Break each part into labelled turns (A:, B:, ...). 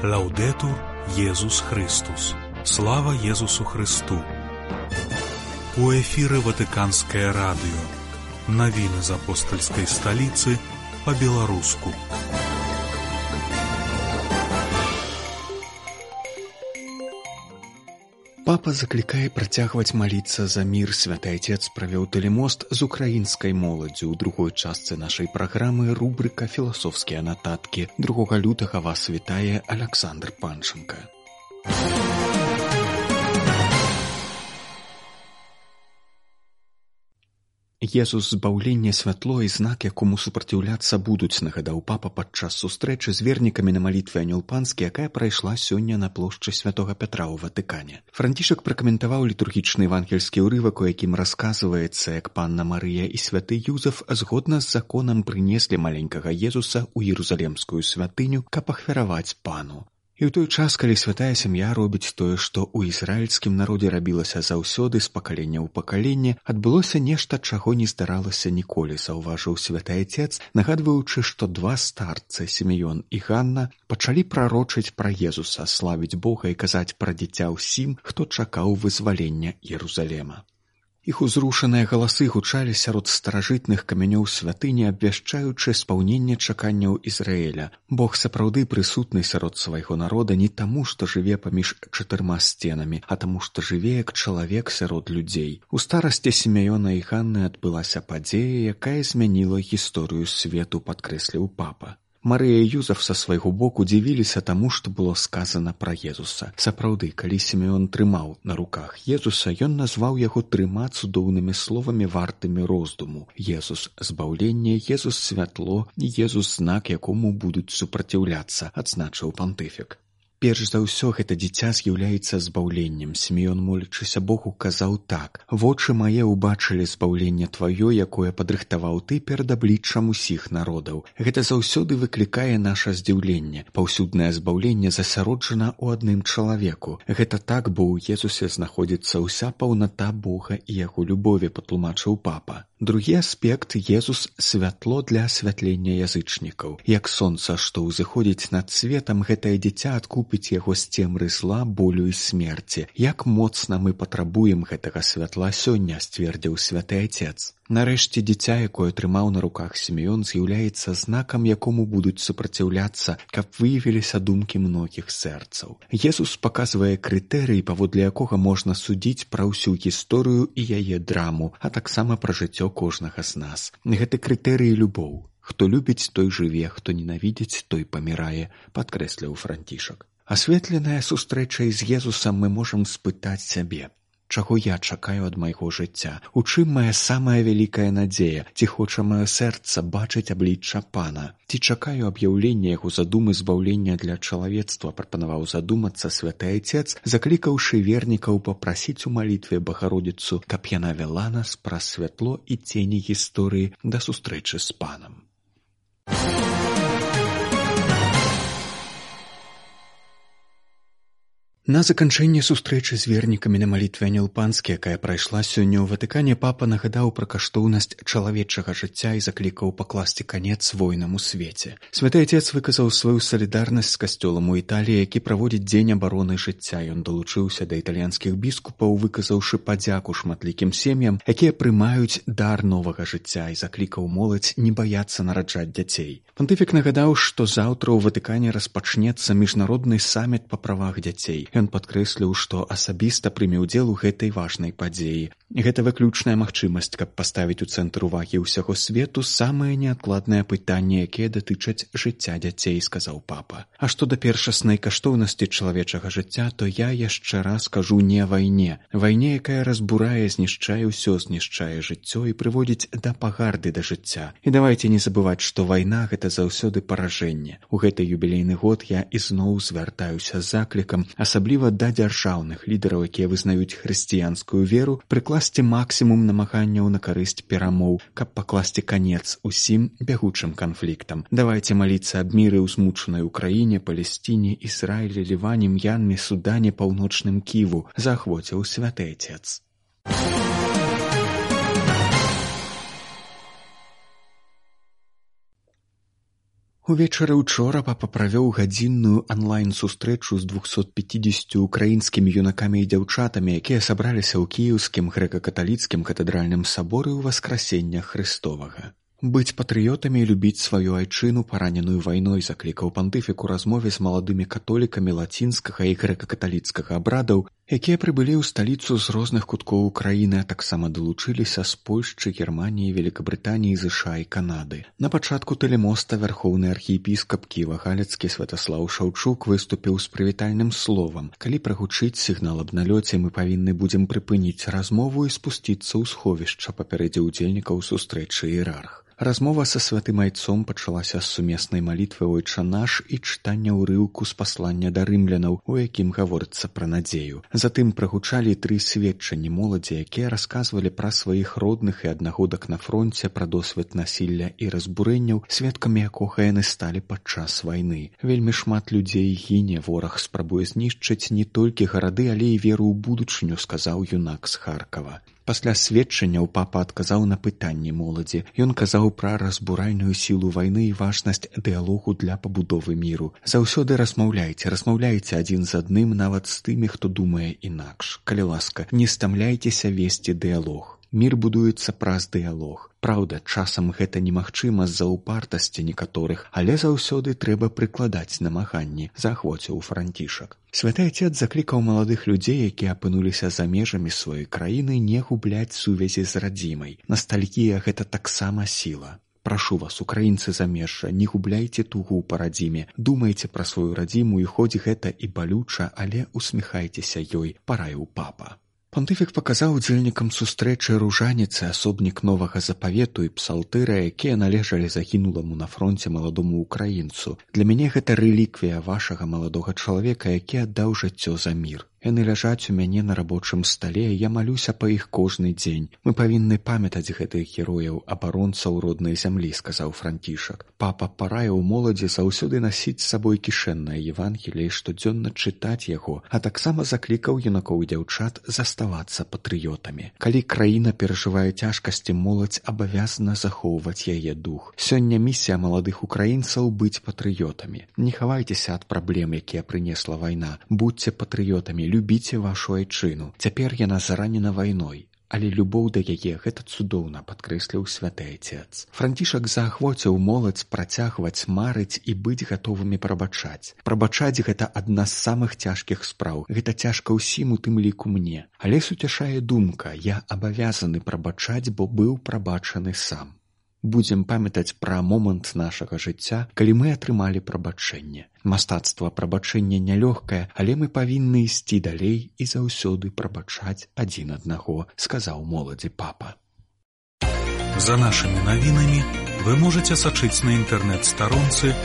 A: Лаўдетур Езус Христус. Слава Езусу Христу. У эфіры Ватыканскае радыё. Навіны з апостальскай сталіцы па-беларуску.
B: Папа заклікае працягваць маліцца за мір. Святы Отец правёў тэлемост з украінскай моладдзю. У другой частцы нашай праграмы рубрыка «Філасофскія нататкі». 2 лютага вас вітае Аляксандр Панченка. Езус збаўлення святло і знак, якому супраціўляцца будуць, нагадаў папа падчас сустрэчы з вернікамі на малітве Анёл Панскі, якая прайшла сёння на плошчы Святога Пятра ў Ватыкане. Францішак пракаментаваў літургічны евангельскі ўрывак, у якім расказваецца, як панна Марыя і святы Юзеф згодна з законам прынеслі маленькага Езуса ў Єрусалемскую святыню, каб ахвяраваць пану. І ў той час, калі святая сям'я робіць тое, што ў ізраільскім народзе рабілася заўсёды з пакалення ў пакаленне, адбылося нешта, чаго не здаралася ніколі, заўважыў святы Отец, нагадваючы, што 2 старцы, Сімеон і Ганна, пачалі прарочыць пра Езуса, славіць Бога і казаць пра дзіця ўсім, хто чакаў вызвалення Єрусалема. Іх узрушаныя галасы гучалі сярод старажытных камянёў святыні, абвяшчаючы спаўненне чаканняў Ізраіля. Бог сапраўды прысутны сярод свайго народа не таму, што жыве паміж 4 сценамі, а таму, што жыве як чалавек сярод людзей. У старасці Сімеона і Ганны адбылася падзея, якая змяніла гісторыю свету, падкрэсліў папа. Марыя і Юзеф са свайго боку дзівіліся таму, што было сказана пра Езуса. Сапраўды, калі Сімеон трымаў на руках Езуса, ён назваў яго 3 цудоўнымі словамі, вартымі роздуму. Езус – збаўленне, Езус – святло, Езус – знак, якому будуць супраціўляцца, адзначыў пантыфік. Перш за ўсё, гэта дзіця з'яўляецца збаўленнем. Сімеон, молячыся Богу, казаў так: «Вочы мае ўбачылі збаўленне тваё, якое падрыхтаваў ты перад абліччам усіх народаў». Гэта заўсёды выклікае наша здзіўленне. Паўсюднае збаўленне засяроджана ў адным чалавеку. Гэта так, бо ў Езусе знаходзіцца ўся паўната Бога і яго любові, патлумачыў папа. Другі аспект – Езус – святло для асвятлення язычнікаў. Як сонца, што ўзыходзіць над светам, гэтае дзіця адкупіць яго з цемры зла, болю і смерці. Як моцна мы патрабуем гэтага святла сёння, сцвердзіў святы Отец. Нарэшце, дзіця, якое трымаў на руках Сімеон, з'яўляецца знакам, якому будуць супраціўляцца, каб выявіліся думкі многіх сэрцаў. Езус паказвае крытэрый, паводле якога можна судзіць пра ўсю гісторыю і яе драму, а таксама пра жыццё кожнага з нас. Гэты крытэрый – любоў. Хто любіць, той жыве, хто ненавідзіць, той памірае, падкрэсліў Францішак. Асветленая сустрэчай з Езусам мы можам спытаць сябе: чаго я чакаю ад майго жыцця? У чым мая самая вялікая надзея? Ці хоча маё сэрца бачыць аблічча Пана? Ці чакаю аб'яўлення яго задумы збаўлення для чалавецтва? Прапанаваў задумацца святы Отец, заклікаўшы вернікаў папрасіць у малітве Багародзіцу, каб яна вяла нас праз святло і цені гісторыі да сустрэчы з Панам. На заканчэнне сустрэчы з вернікамі на малітве Анёл Панскі, якая прайшла сёння ў Ватыкане, папа нагадаў пра каштоўнасць чалавечага жыцця і заклікаў пакласці канец войнам у свеце. Святы Отец выказаў сваю салідарнасць з касцёлам у Італіі, які праводзіць дзень абароны жыцця. Ён далучыўся да італьянскіх біскупаў, выказаўшы падзяку шматлікім сем'ям, якія прымаюць дар новага жыцця, і заклікаў моладзь не баяцца нараджаць дзяцей. Пантыфік нагадаў, што заўтра ў Ватыкане распачнецца міжнародны саміт па правах дзяцей. Ён падкрэсліў, што асабіста прыме ўдзел у гэтай важнай падзеі. Гэта выключная магчымасць, каб паставіць у цэнтр увагі ўсяго свету самыя неадкладныя пытанні, якія датычаць жыцця дзяцей, сказаў папа. А што да першаснай каштоўнасці чалавечага жыцця, то я яшчэ раз кажу не вайне. Вайне, якая разбурае, знішчае ўсё, знішчае жыццё і прыводзіць да пагарды да жыцця. І давайце не забываць, што вайна – гэта заўсёды паражэнне. У гэты юбілейны год я ізноў звяртаюся з заклікам, асабліва да дзяржаўных лідараў, якія вызнаюць хрысціянскую веру, прыкласці максімум намаганняў на карысць перамоў, каб пакласці канец усім бягучым канфліктам. Давайце маліцца аб міры ў змучанай Украіне, Палесціне, Ізраілі, Ліване, М'янме, Судане, Паўночным Ківу, заахвоціў святы Отец. Увечары учора папа правёў гадзінную анлайн-сустрэчу з 250 украінскімі юнакамі і дзяўчатамі, якія сабраліся ў кіеўскім грэка-каталіцкім катэдральным саборы ў Васкрасення Христовага. Быць патрыётамі і любіць сваю айчыну, параненую вайной, заклікаў пантыфік у размове з маладымі католікамі лацінскага і грэка-каталіцкага абрадаў, якія прыбылі ў сталіцу з розных куткоў Украіны, а таксама далучыліся з Польшчы, Германіі, Великабрытаніі, ЗША і Канады. На пачатку тэлемоста вярхоўны архіепіскап Кіева-Галіцкі Святаслаў Шаўчук выступіў з прывітальным словам. Калі прагучыць сігнал аб налёце, мы павінны будзем прыпыніць размову і спусціцца ў сховішча, папярэдзіў удзельнікаў сустрэчы іерарх. Размова са святым айцом пачалася з сумеснай малітвы «Ойча наш» і чытання ўрыўку з паслання да рымлянаў, у якім гаворыцца пра надзею. Затым прагучалі 3 сведчанні моладзі, якія расказвалі пра сваіх родных і аднагодак на фронце, пра досвед насілля і разбурэнняў, сведкамі якога яны сталі падчас вайны. Вельмі шмат людзей гіне, вораг спрабуе знішчыць не толькі гарады, але і веру ў будучыню, сказаў юнак з Харкава. Пасля сведчанняў папа адказаў на пытанні моладзі. Ён казаў пра разбуральную сілу вайны і важнасць дыялогу для пабудовы міру. Заўсёды размаўляйце адзін з адным, нават з тымі, хто думае інакш. Калі ласка, не стамляйцеся весці дыялог. Мір будуецца праз дыялог. Праўда, часам гэта немагчыма з-за упартасці некаторых, але заўсёды трэба прыкладаць намаганні, заахвоціў Францішак. Святы Отец заклікаў маладых людзей, якія апынуліся за межамі сваёй краіны, не губляць сувязі з радзімай. Настальгія — гэта таксама сіла. Прашу вас, украінцы замежжа, не губляйце тугу па радзіме, думайце пра сваю радзіму, і хоць гэта і балюча, але усміхайцеся ёй, параіў папа. Пантыфік паказаў удзельнікам сустрэчы ружаніцы, асобнік Новага Запавету і псалтыра, якія належалі загінуламу на фронце маладому украінцу. Для мяне гэта рэліквія вашага маладога чалавека, які аддаў жыццё за мір. Яны ляжаць у мяне на рабочым стале, я малюся па іх кожны дзень. Мы павінны памятаць гэтых герояў, абаронцаў роднай зямлі, сказаў Францішак. Папа параіў моладзі заўсёды насіць з сабой кішэннае Евангеліе, штодзённа чытаць яго, а таксама заклікаў юнакоў і дзяўчат заставацца патрыётамі. Калі краіна перажывае цяжкасці, моладзь абавязана захоўваць яе дух. Сёння місія маладых украінцаў быць патрыётамі. Не хавайцеся ад праблем, якія прынесла вайна. Будьце патрыётамі, любіце вашу айчыну. Цяпер яна заранена вайной, але любоў да яе — гэта цудоўна, падкрэсліў святы Отец. Францішак заахвоціў моладзь працягваць марыць і быць гатовымі прабачаць. Прабачаць — гэта адна з самых цяжкіх спраў. Гэта цяжка ўсім, у тым ліку мне. Але суцяшае думка: я абавязаны прабачаць, бо быў прабачаны сам. Будзем памятаць пра момант нашага жыцця, калі мы атрымалі прабачэнне. Мастацтва прабачэння нялёгкае, але мы павінны ісці далей і заўсёды прабачаць адзін аднаго, сказаў моладзі папа.
A: За нашымі навінамі вы можаце сачыць на інтэрнэт-старонцы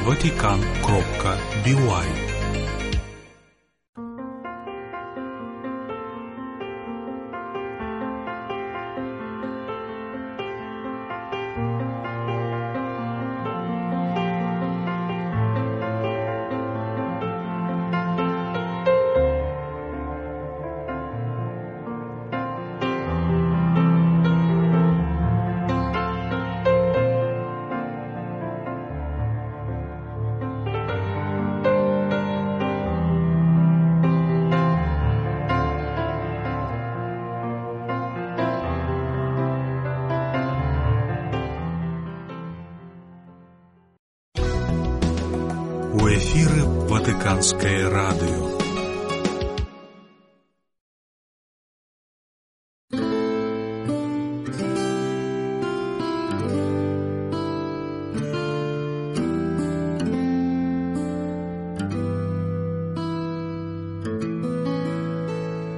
A: vatican.by. У эфіры Ватыканскае радыё.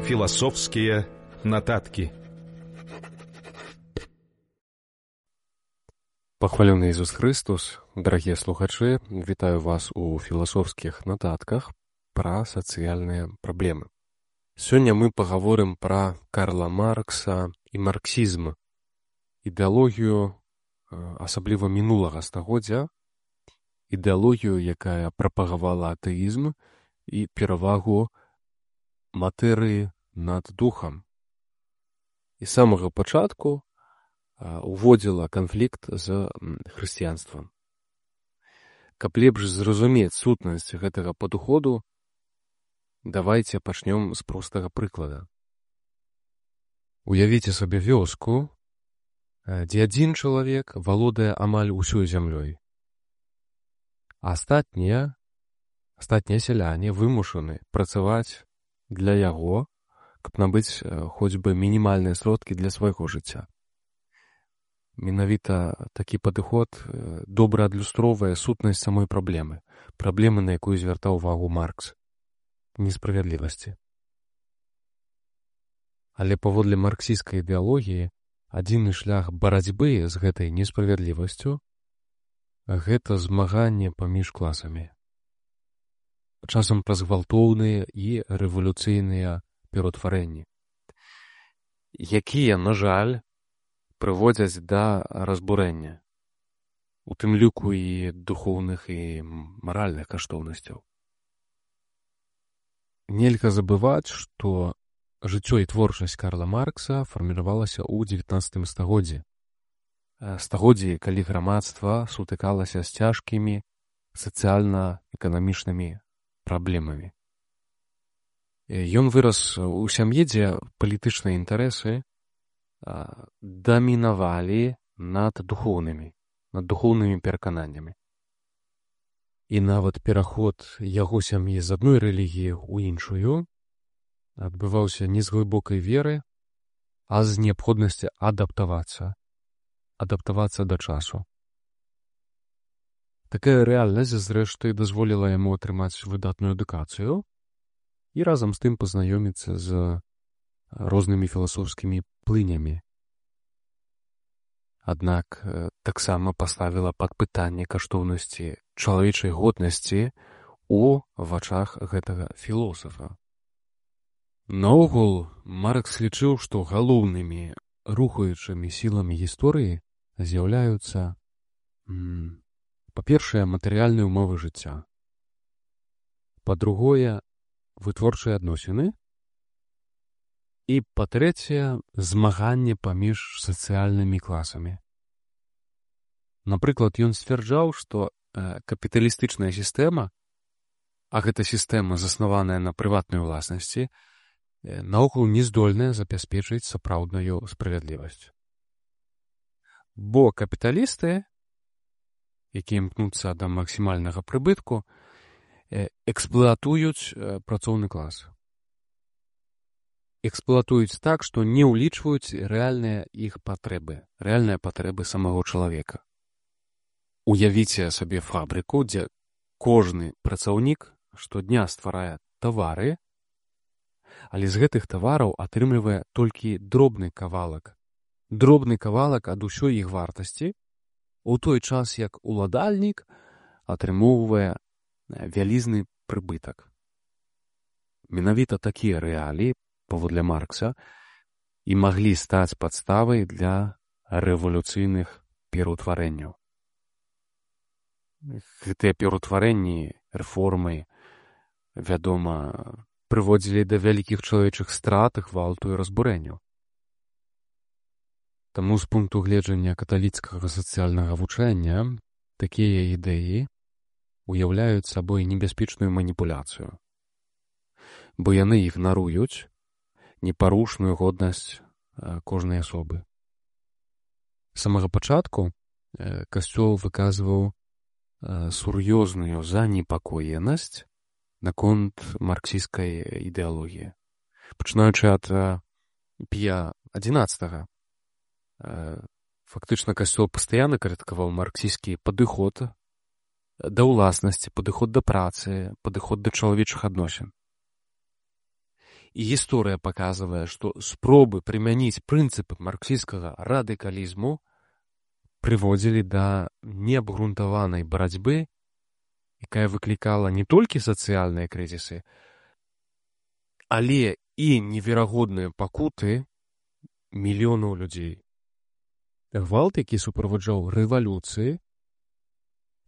C: Философские нотатки.
D: Пахвалены Ісус Христос, дарагія слухачы, вітаю вас у філасофскіх нататках пра сацыяльныя праблемы. Сёння мы пагаворым пра Карла Маркса і марксізм, ідэалогію, асабліва мінулага стагоддзя, ідэалогію, якая прапагавала атэізм і перавагу матэрыі над духам. І з самага пачатку уводзіла канфлікт з хрысціянствам. Каб лепш зразумець сутнасць гэтага падыходу, давайце пачнём з простага прыклада. Уявіце сабе вёску, дзе адзін чалавек валодае амаль усёй зямлёй. Астатнія сяляне вымушаны працаваць для яго, каб набыць хоць бы мінімальныя сродкі для свайго жыцця. Менавіта такі падыход добра адлюстроўвае сутнасць самой праблемы, на якую звяртаў увагу Маркс — несправядлівасці. Але паводле марксісцкай ідэалогіі адзіны шлях барацьбы з гэтай несправядлівасцю — гэта змаганне паміж класамі. Часам праз гвалтоўныя і рэвалюцыйныя пераўтварэнні, якія, на жаль, прыводзяць да разбурэння, у тым ліку і духоўных і маральных каштоўнасцяў. Нельга забываць, што жыццё і творчасць Карла Маркса фарміравалася ў 19 стагоддзі. Стагоддзі, калі грамадства сутыкалася з цяжкімі сацыяльна-эканамічнымі праблемамі. Ён вырас у сям'і, дзе палітычныя інтарэсы дамінавалі над духоўнымі перакананнямі. І нават пераход яго сям'і з адной рэлігіі ў іншую адбываўся не з глыбокай веры, а з неабходнасці адаптавацца да часу. Такая рэальнасць, зрэшты, дазволіла яму атрымаць выдатную адукацыю і разам з тым пазнаёміцца з рознымі філасофскімі плынямі. Аднак таксама паставіла пад пытанне каштоўнасці чалавечай годнасці ў вачах гэтага філосафа. Наогул, Маркс лічыў, што галоўнымі рухаючымі сіламі гісторыі з'яўляюцца, па-першае, матэрыяльныя ўмовы жыцця, па-другое, вытворчыя адносіны і, па-трэцяе, змаганне паміж сацыяльнымі класамі. Напрыклад, ён сцвярджаў, што капіталістычная сістэма, а гэта сістэма, заснаваная на прыватнай уласнасці, наогул не здольная забяспечыць сапраўдную справядлівасць. Бо капіталісты, якія імкнуцца да максімальнага прыбытку, эксплуатуюць працоўны клас. Эксплуатуюць так, што не ўлічваюць рэальныя іх патрэбы, рэальныя патрэбы самого чалавека. Уявіце сабе фабрыку, дзе кожны працаўнік штодня стварае тавары, але з гэтых тавараў атрымлівае толькі дробны кавалак ад усёй іх вартасці, у той час як уладальнік атрымоўвае вялізны прыбытак. Менавіта такія рэаліі, паводле Маркса, і маглі стаць падставай для рэвалюцыйных пераўтварэнняў. Гэтыя пераўтварэнні, рэформы, вядома, прыводзілі да вялікіх чалавечых страт, гвалту і разбурэнняў. Таму з пункту гледжання каталіцкага сацыяльнага вучэння такія ідэі уяўляюць сабой небяспечную маніпуляцыю, бо яны ігнаруюць непарушную годнасць кожнай асобы. З самага пачатку Касцёл выказваў сур'ёзную занепакоенасць наконт марксісцкай ідэалогіі. Пачынаючы ад Пія XI, фактычна Касцёл пастаянна крытыкаваў марксісцкі падыход да ўласнасці, падыход да працы, падыход да чалавечых адносін. І гісторыя паказвае, што спробы прымяніць прынцыпы марксісцкага радыкалізму прыводзілі да неабгрунтаванай барацьбы, якая выклікала не толькі сацыяльныя крызісы, але і неверагодныя пакуты мільёнаў людзей. Гвалт, які суправаджаў рэвалюцыі,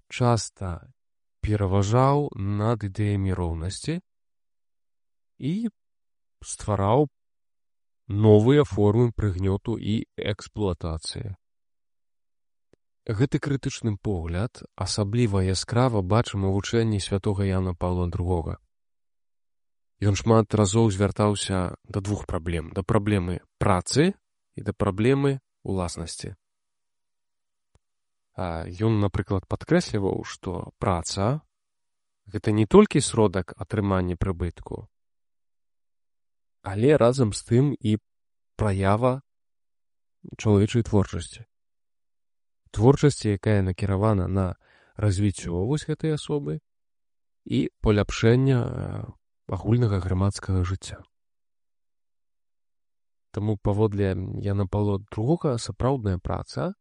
D: часта пераважаў над ідэямі роўнасці і ствараў новыя формы прыгнёту і эксплуатацыі. Гэты крытычны погляд асабліва яскрава бачым у вучэнні святога Яна Паўла II. Ён шмат разоў звяртаўся да двух праблем: да праблемы працы і да праблемы уласнасці. Ён, напрыклад, падкрэсліваў, што праца — гэта не толькі сродак атрымання прыбытку, але разам з тым і праява чалавечай творчасці. Творчасці, якая накіравана на развіццё вось гэтай асобы і паляпшэння агульнага грамадскага жыцця. Таму паводле Яна Паўла II сапраўдная праца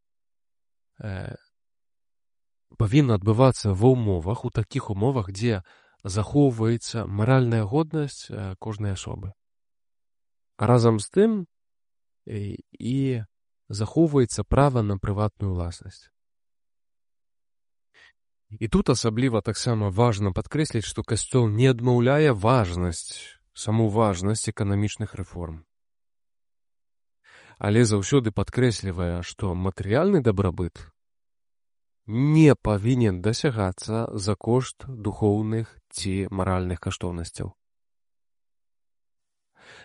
D: павінна адбывацца ва ўмовах, у такіх умовах, дзе захоўваецца маральная годнасць кожнай асобы. А разам з тым і захоўваецца права на прыватную ўласнасць. І тут асабліва таксама важна падкрэсліць, што Касцёл не адмаўляе саму важнасць эканамічных рэформ. Але заўсёды падкрэслівае, што матэрыяльны дабрабыт не павінен дасягацца за кошт духоўных ці маральных каштоўнасцяў.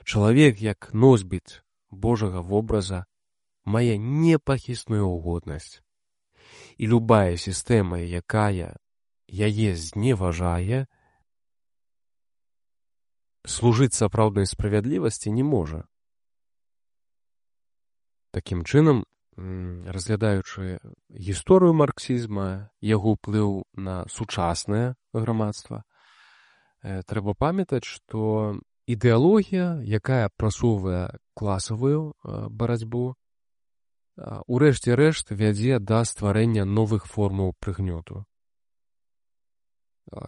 D: Чалавек, як носьбіт Божага вобраза, мае непахісную годнасць. І любая сістэма, якая яе зневажае, служыць сапраўднай справядлівасці не можа. Такім чынам, разглядаючы гісторыю марксізма, яго ўплыў на сучаснае грамадства, трэба памятаць, што ідэалогія, якая прасоўвае класавую барацьбу, у рэшце рэшт вядзе да стварэння новых формаў прыгнёту.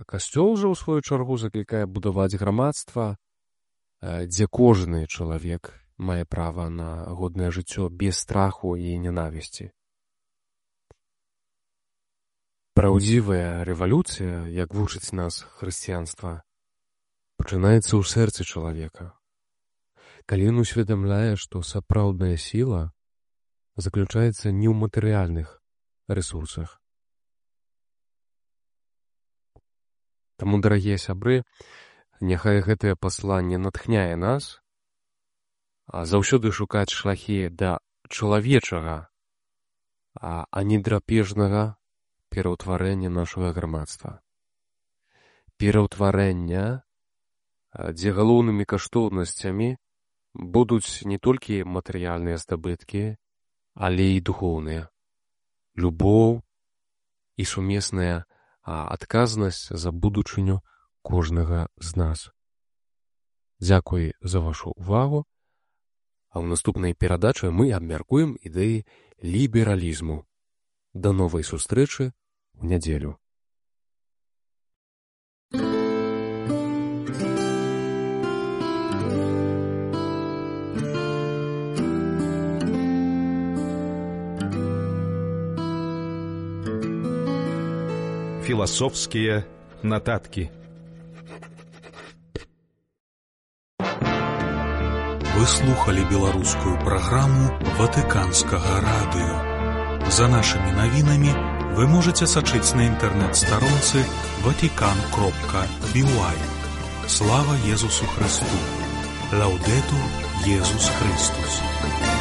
D: Касцёл жа, у сваю чаргу, заклікае будаваць грамадства, дзе кожны чалавек мае права на годнае жыццё без страху і ненавісці. Праўдзівая рэвалюцыя, як вучыць нас хрысціянства, пачынаецца ў сэрцы чалавека, калі ён усведамляе, што сапраўдная сіла заключаецца не ў матэрыяльных рэсурсах. Таму, дарагія сябры, няхай гэтае пасланне натхняе нас, заўсёды шукаць шляхі да чалавечага, а не драпежнага пераўтварэння нашага грамадства. Пераўтварэння, дзе галоўнымі каштоўнасцямі будуць не толькі матэрыяльныя здабыткі, але і духоўныя. Любоў і сумесная адказнасць за будучыню кожнага з нас. Дзякуй за вашу увагу. А ў наступнай перадачы мы абмяркуем ідэі лібералізму. Да новай сустрэчы ў нядзелю.
C: Філасофскія нататкі.
A: Вы слухали беларускую праграму Ватыканскага радыё. За нашымі навінамі вы можаце сачыць на інтэрнэт-старонцы vatican.by. Слава Езусу Христу! Лаўдэтур Езус Христус!